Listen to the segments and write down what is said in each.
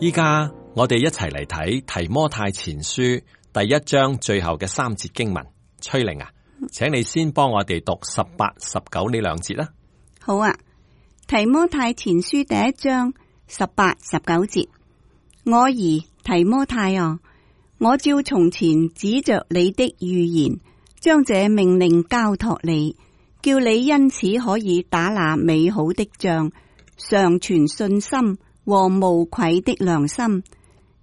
依家我哋一齊嚟睇提摩太前書第1章最後嘅3節經文。崔玲啊，請你先幫我哋讀18、19呢2節啦。好啊，提摩太前書第1章18、19節，我兒提摩太啊，我照從前指着你的預言，將這命令交託你，叫你因此可以打那美好的仗，常存信心和無愧的良心。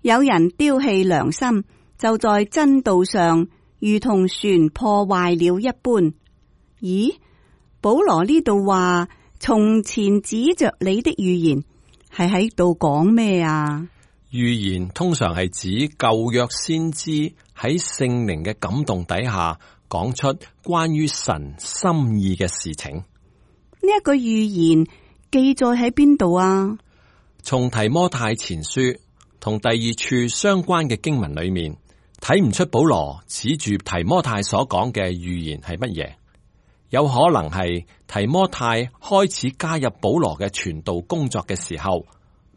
有人丟棄良心，就在真道上如同船破壞了一般。咦，保羅呢度話從前指着你的預言，係喺度講咩啊？預言通常係指舊約先知喺聖靈嘅感動底下講出關於神心意嘅事情。呢一個預言記載喺邊度啊？從提摩太前書同第2處相關嘅經文裏面，睇唔出保羅指住提摩太所講嘅預言係乜嘢。有可能係提摩太開始加入保羅嘅傳道工作嘅時候，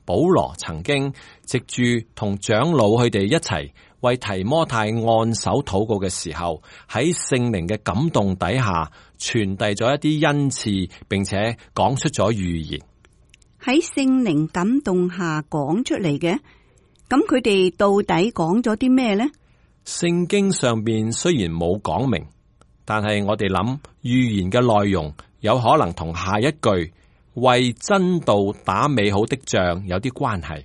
保羅曾經藉住同長老佢哋一齊為提摩太按手禱告嘅時候，喺聖靈嘅感動底下傳遞咗一啲恩賜，並且講出咗預言。喺聖靈感動下講出嚟嘅，咁佢哋到底講咗啲咩呢？聖經上邊雖然冇講明，但係我哋諗預言嘅內容有可能同下一句為真道打美好的仗有啲關係。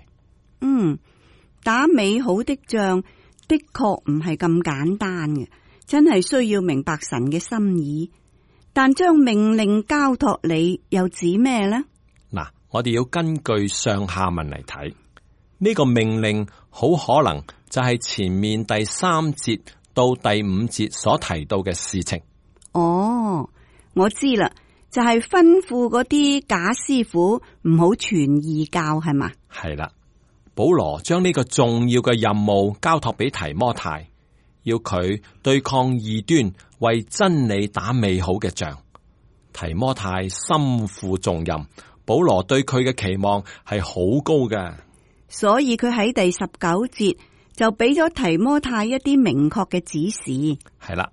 打美好的仗的確唔係咁簡單嘅，真係需要明白神嘅心意。但將命令交託你又指咩呢？嗱，我哋要根據上下文嚟睇，呢個命令好可能就係前面第3節到第5節所提到嘅事情。哦，我知啦，就係吩咐嗰啲假師傅唔好傳異教，係嘛？係啦，保羅將呢個重要嘅任務交託俾提摩太，要佢對抗異端，為真理打美好嘅仗。提摩太身負重任，保羅對佢嘅期望係好高嘅，所以佢喺第19節就俾咗提摩太一啲明確嘅指示。係啦，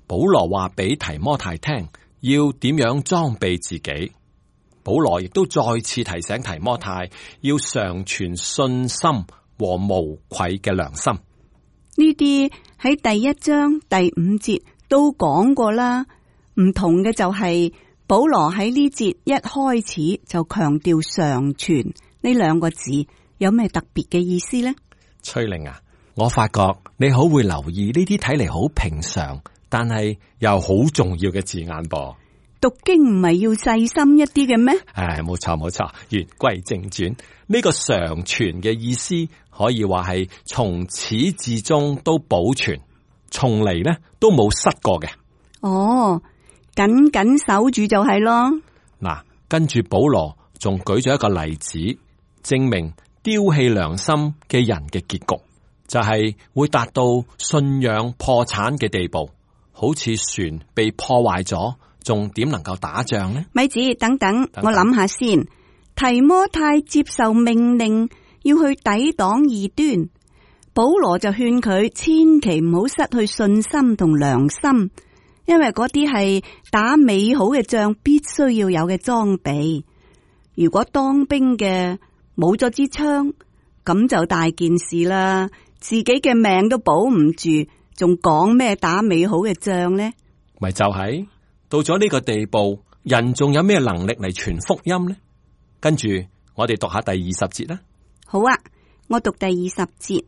保羅話俾提摩太聽要點樣裝備自己。保羅亦都再次提醒提摩太要常存信心和無愧嘅良心。呢啲喺第1章第5節都講過啦，唔同嘅就係保羅喺呢節一開始就強調常存呢2個字，有咩特別嘅意思呢？崔玲啊，我發覺你好會留意呢啲睇嚟好平常，但係又好重要嘅字眼噃。讀經唔係要細心一啲嘅咩？冇錯冇錯。言歸正傳，呢個常存嘅意思可以話係從始至終都保存，從嚟呢都冇失過嘅。哦，緊緊守住就係咯。嗱，跟住保羅仲舉咗一個例子，證明丟棄良心嘅人嘅結局就係會達到信仰破產嘅地步，好似船被破壞咗，仲點能夠打仗呢？咪子，等等，我諗下先。提摩太接受命令要去抵擋異端，保羅就勸佢千祈唔好失去信心同良心，因為嗰啲係打美好嘅仗必須要有嘅裝備。如果當兵嘅冇咗支槍，咁就大件事啦，自己嘅命都保唔住，仲講咩打美好嘅仗呢？咪就係到咗呢個地步，人仲有咩能力嚟傳福音呢？跟住我哋讀下第20節啦。好啊，我讀第20節，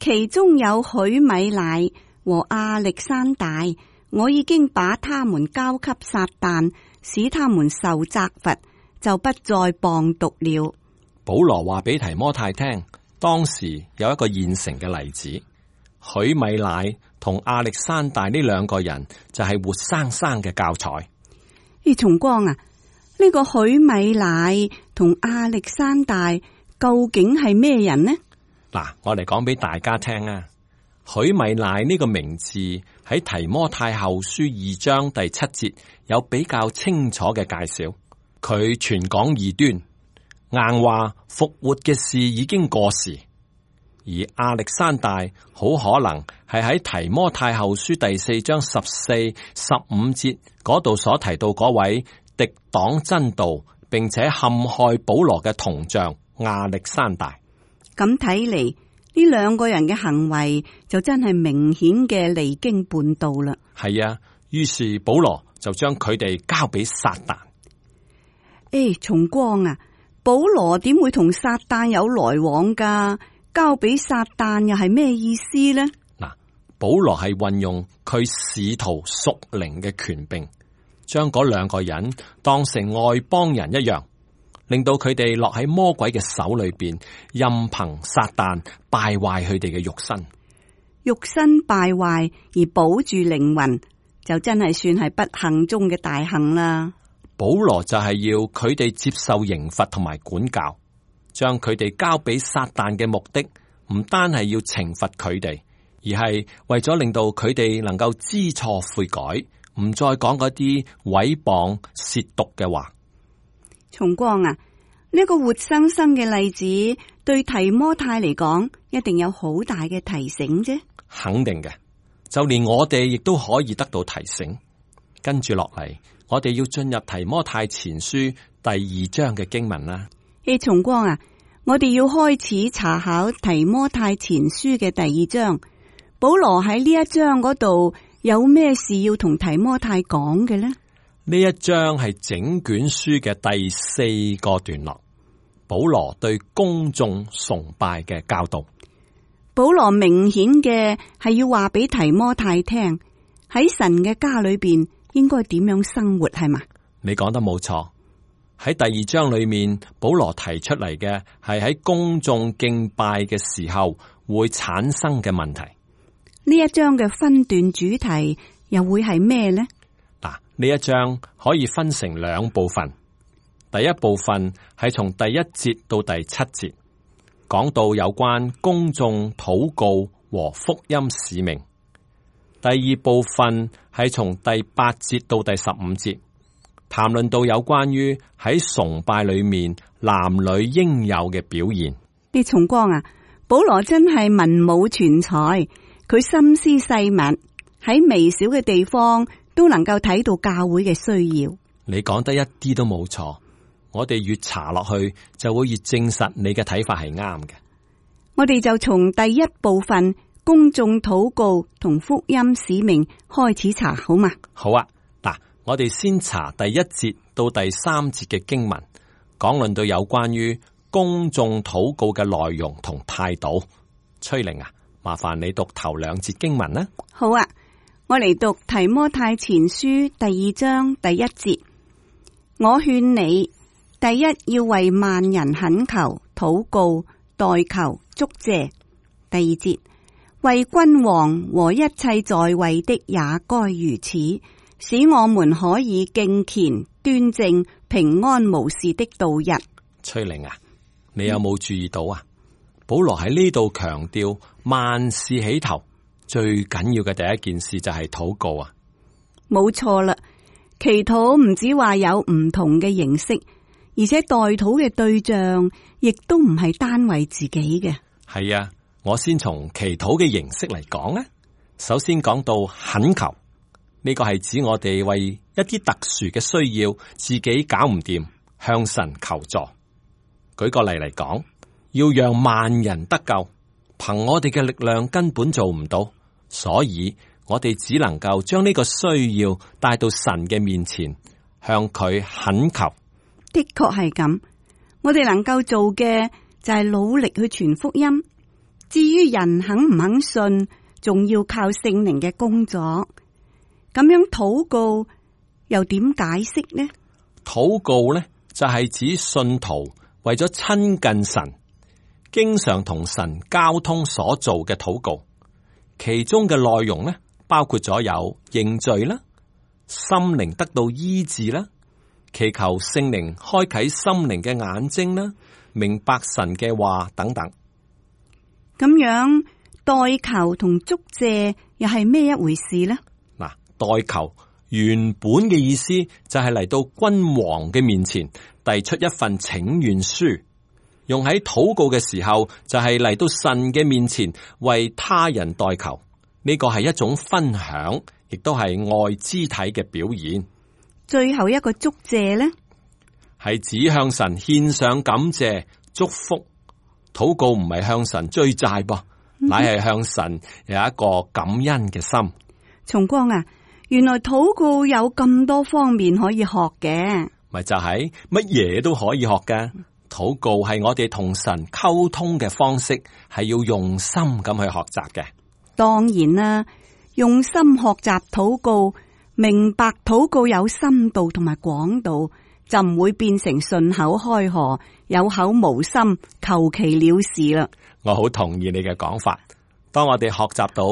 其中有許米乃和亞歷山大，我已經把他們交給撒旦，使他們受責罰，就不再謗讟了。保羅話俾提摩太聽，當時有一個現成嘅例子，許米乃同亞歷山大呢2個人就係活生生嘅教材。松光啊，呢個許米乃同亞歷山大究竟係咩人呢？嗱，我嚟講俾大家聽啊。許米乃呢個名字喺提摩太後書2章第7節有比較清楚嘅介紹。佢傳講異端，硬話復活嘅事已經過時，而亞歷山大好可能係喺提摩太後書第4章14、15節嗰度所提到嗰位敵擋真道並且陷害保羅嘅銅匠亞歷山大。咁睇嚟，呢兩個人嘅行為就真係明顯嘅離經叛道啦。係啊，於是保羅就將佢哋交俾撒旦。松光啊，保羅點會同撒旦有來往噶？交俾撒旦又係咩意思呢？嗱，保羅係運用佢使徒屬靈嘅權柄，將嗰兩個人當成外邦人一樣，令到佢哋落喺魔鬼嘅手裏邊，任憑撒旦敗壞佢哋嘅肉身。肉身敗壞而保住靈魂，就真係算係不幸中嘅大幸啦。保羅就係要佢哋接受刑罰同埋管教，將佢哋交俾撒旦嘅目的，唔單係要懲罰佢哋，而係為咗令到佢哋能夠知錯悔改，唔再講嗰啲毀謗褻瀆嘅話。松光啊，呢個活生生嘅例子對提摩太嚟講，一定有好大嘅提醒啫。肯定嘅，就連我哋亦都可以得到提醒。跟住落嚟，我哋要進入提摩太前書第2章嘅經文啦。松光啊，我哋要開始查考提摩太前書嘅第2章。保羅喺呢一章嗰度有咩事要同提摩太講嘅呢？呢一章係整卷書嘅第4個段落，保羅對公眾崇拜嘅教導。保羅明顯嘅係要話俾提摩太聽，喺神嘅家裏邊應該點樣生活，係嘛？你講得冇錯。喺第2章裏面，保羅提出嚟嘅係喺公眾敬拜嘅時候會產生嘅問題。呢一章嘅分段主題又會係咩呢？嗱，呢一章可以分成2部分。第一部分係從第1節到第7節，講到有關公眾禱告和福音使命。第2部分係從第8節到第15節，談論到有關於喺崇拜裏面男女應有嘅表現。你重光啊，保羅真係文武全才，佢心思細密，喺微小嘅地方都能夠睇到教會嘅需要。你講得一啲都冇錯，我哋越查落去就會越證實你嘅睇法係啱嘅。我哋就從第1部分公眾禱告同福音使命開始查好嘛？好啊，嗱，我哋先查第1節到第3節嘅經文，講論到有關於公眾禱告嘅內容同態度。崔玲啊，麻煩你讀頭2節經文啦。好啊，我嚟讀提摩太前書第2章第1節。我勸你，第一要為萬人懇求、禱告、代求、祝謝。第2節，為君王和一切在位的也該如此，使我們可以敬虔、端正、平安無事的度日。崔玲啊，你有冇注意到啊？保羅喺呢度強調萬事起頭，最緊要嘅第一件事就係禱告啊！冇錯啦，祈禱唔止話有唔同嘅形式，而且代禱嘅對象亦都唔係單為自己嘅。係啊，我先從祈禱嘅形式嚟講啊。首先講到懇求，呢個係指我哋為一啲特殊嘅需要，自己搞唔掂，向神求助。舉個例嚟講，要讓萬人得救，憑我哋嘅力量根本做唔到，所以我哋只能夠將呢個需要帶到神嘅面前，向佢懇求。的確係咁，我哋能夠做嘅就係努力去傳福音。至於人肯唔肯信，仲要靠聖靈嘅工作。咁樣禱告又點解釋呢？禱告呢，就係指信徒為咗親近神，經常同神交通所做嘅禱告。其中嘅內容呢，包括咗有認罪啦、心靈得到醫治啦、祈求聖靈開啟心靈嘅眼睛啦、明白神嘅話等等。咁樣代求同祝謝又係咩一回事呢？嗱，代求原本嘅意思就係嚟到君王嘅面前，遞出一份請願書，用喺禱告嘅時候，就係嚟到神嘅面前為他人代求。呢個係一種分享，亦都係愛肢體嘅表現。最後一個祝謝呢，係指向神獻上感謝祝福。禱告唔係向神追債噃，乃係向神有一個感恩嘅心。松光啊，原來禱告有咁多方面可以學嘅，咪就係乜嘢都可以學嘅。禱告係我哋同神溝通嘅方式，係要用心咁去學習嘅。當然啦，用心學習禱告，明白禱告有深度同埋廣度，就唔會變成順口開河、有口無心、求其了事啦。我好同意你嘅講法。當我哋學習到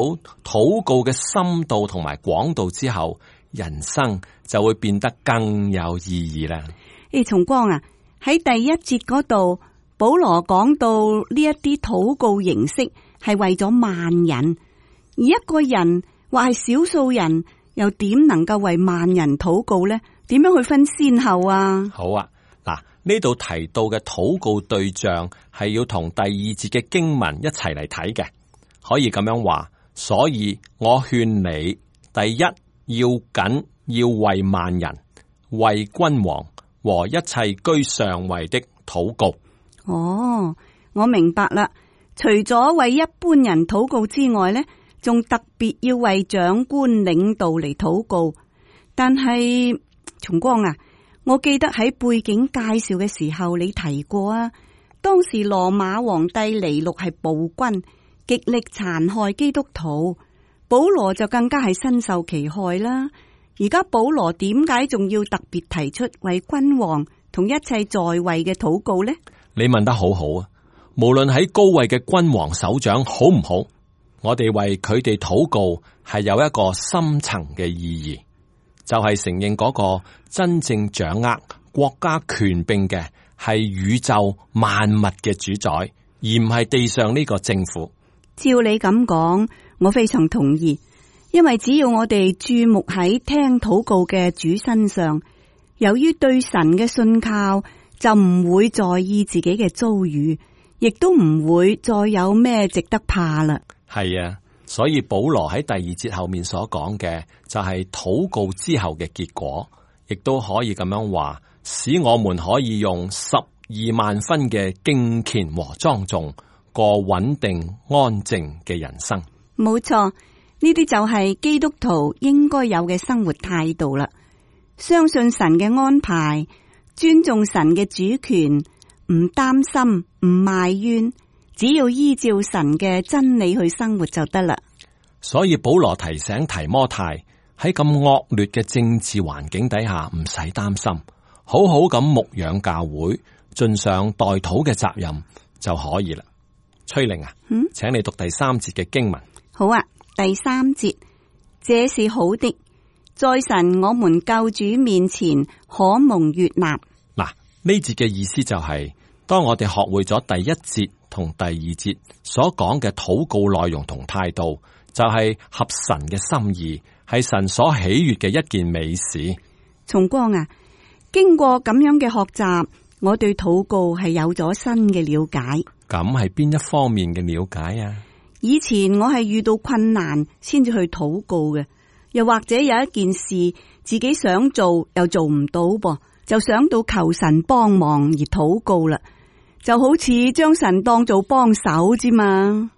禱告嘅深度同埋廣度之後，人生就會變得更有意義啦。松光啊，喺第一節嗰度，保羅講到呢一啲禱告形式係為咗萬人，而一個人或係少數人，又點能夠為萬人禱告呢？點樣去分先後啊？好啊，嗱，呢度提到嘅禱告對象係要同第二節嘅經文一齊嚟睇嘅，可以咁樣話。所以我勸你，第一要緊要為萬人、為君王和一切居上位的禱告。哦，我明白啦。除咗為一般人禱告之外呢，仲特別要為長官領導嚟禱告。但係松光啊，我記得喺背景介紹嘅時候你提過啊，當時羅馬皇帝尼祿係暴君，極力殘害基督徒，保羅就更加係身受其害啦。而家保羅點解仲要特別提出為君王同一切在位嘅禱告呢？你問得好好啊！無論喺高位嘅君王首長好唔好，我哋為佢哋禱告係有一個深層嘅意義，就係承認嗰個真正掌握國家權柄嘅係宇宙萬物嘅主宰，而唔係地上呢個政府。照你咁講，我非常同意，因為只要我哋注目喺聽禱告嘅主身上，由於對神嘅信靠，就唔會在意自己嘅遭遇，亦都唔會再有咩值得怕啦。係啊，所以保羅喺第二節後面所講嘅就係禱告之後嘅結果，亦都可以咁樣話，使我們可以用12萬分嘅敬虔和莊重過穩定安靜嘅人生。冇錯，呢啲就係基督徒應該有嘅生活態度啦。相信神嘅安排，尊重神嘅主權，唔擔心，唔埋怨，只要依照神嘅真理去生活就得啦。所以保羅提醒提摩太，喺咁惡劣嘅政治環境底下，唔使擔心，好好咁牧養教會，盡上代禱嘅責任就可以啦。崔玲啊，請你讀第3節嘅經文。好啊，第3節，這是好的，在神我們救主面前可蒙悅納。嗱，呢節嘅意思就係，當我哋學會咗第1節同第2節所講嘅禱告內容同態度，就係合神嘅心意，係神所喜悅嘅一件美事。松光啊，經過咁樣嘅學習，我對禱告係有咗新嘅了解。咁係邊一方面嘅了解啊？以前我係遇到困難先至去禱告嘅，又或者有一件事自己想做又做唔到噃，就想到求神幫忙而禱告啦，就好似將神當做幫手之嘛。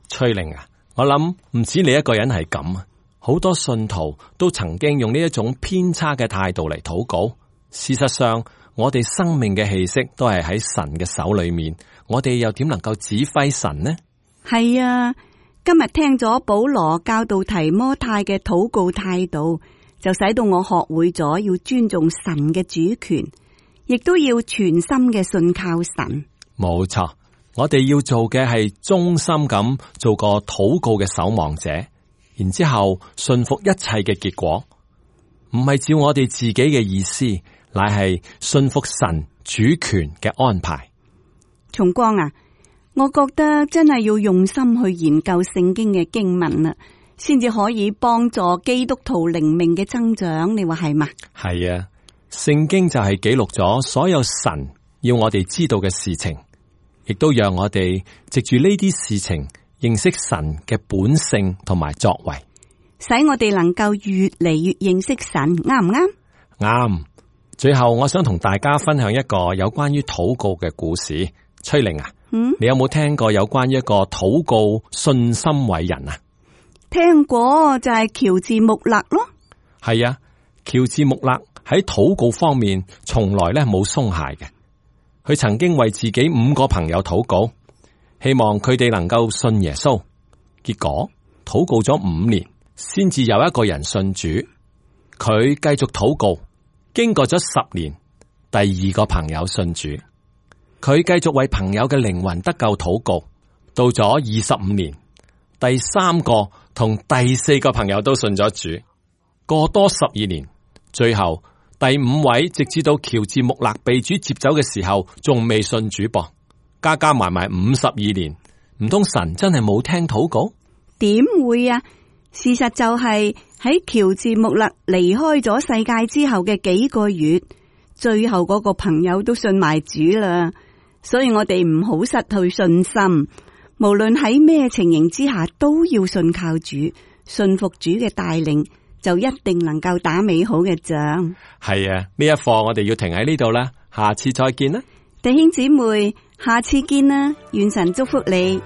翠玲啊，我諗唔止你一個人係咁啊，好多信徒都曾經用呢一種偏差嘅態度嚟禱告。事實上，我哋生命嘅氣息都係喺神嘅手裏面，我哋又點能夠指揮神呢？係啊，今日聽咗保羅教導提摩太嘅禱告態度，就使到我學會咗要尊重神嘅主權，亦都要全心嘅信靠神。冇錯，我哋要做嘅係忠心咁做個禱告嘅守望者，然之後信服一切嘅結果，唔係照我哋自己嘅意思，乃係信服神主權嘅安排。松光啊，我覺得真係要用心去研究聖經嘅經文啦，先至可以幫助基督徒靈命嘅增長。你話係嘛？係啊，聖經就係記錄咗所有神要我哋知道嘅事情，亦都讓我哋藉住呢啲事情認識神嘅本性同埋作為，使我哋能夠越嚟越認識神，啱唔啱？啱。最後我想同大家分享一個有關於禱告嘅故事。崔玲啊，你有冇聽過有關於一個禱告信心偉人啊？聽過，就係喬治穆勒咯。係啊，喬治穆勒喺禱告方面從來咧冇鬆懈嘅。佢曾經為自己5個朋友禱告，希望佢哋能夠信耶穌。結果禱告咗5年，先至有一個人信主。佢繼續禱告，經過咗10年，第2個朋友信主。佢繼續為朋友嘅靈魂得救禱告，到咗25年，第3個同第4個朋友都信咗主。過多12年，最後第5位直至到喬治穆勒被主接走嘅時候，仲未信主噃。加加埋埋52年，唔通神真係冇聽禱告？點會啊？事實就係喺喬治穆勒離開咗世界之後嘅幾個月，最後嗰個朋友都信埋主啦。所以我哋唔好失去信心，無論喺咩情形之下，都要信靠主，信服主嘅帶領，就一定能夠打美好嘅仗。係啊，呢一課我哋要停喺呢度啦，下次再見啦，弟兄姊妹，下次見啦，願神祝福你。